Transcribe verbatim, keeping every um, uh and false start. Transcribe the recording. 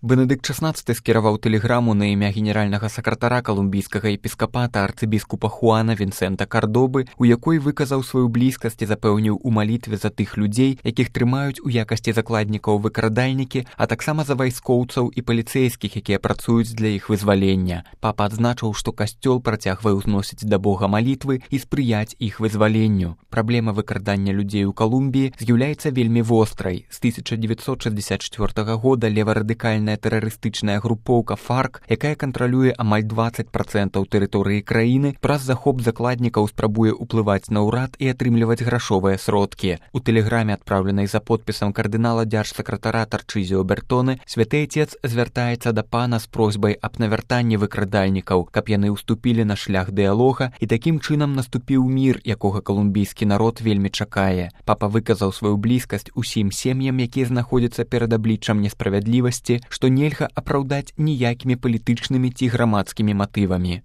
Бенедыкт шаснаццаты скіраваў тэлеграму на імя генеральнага сакратара калумбійскага епіскапата арцыбіскупа Хуана Вінсента Кардобы, у якой выказаў сваю блізкасць і запэўніў у малітве за тых людзей, якіх трымаюць у якасці закладнікаў выкрадальнікі, а таксама за вайскоўцаў і паліцэйскіх, якія працуюць для іх вызвалення. Папа адзначыў, што касцёл працягвае ўзносіць да Бога малітвы і спрыяць іх вызваленню. Праблема выкрадання людзей у Калумбіі з'яўляецца вельмі вострай. З тысяча дзевяцьсот шэсцьдзесят чвёртага года леварадыкальная тэрарыстычная групоўка фарк, якая кантралюе амаль дваццаць працэнтаў тэрыторыі краіны, праз захоп закладнікаў спрабуе ўплываць на ўрад і атрымліваць грашовыя сродкі. У тэлеграме, адпраўленай за подпісам кардынала дзяржсакратара Тарчызіо Бертоне, святы Отец звяртаецца да пана з просьбай аб навяртанні выкрадальнікаў, каб яны ўступілі на шлях дыялога і такім чынам наступіў мір, якога калумбійскі народ вельмі чакае. Папа выказаў сваю блізкасць усім сем'ям, якія знаходзяцца перад абліччам несправядлівасці, што нельга апраўдаць ніякімі палітычнымі ці грамадскімі матывамі.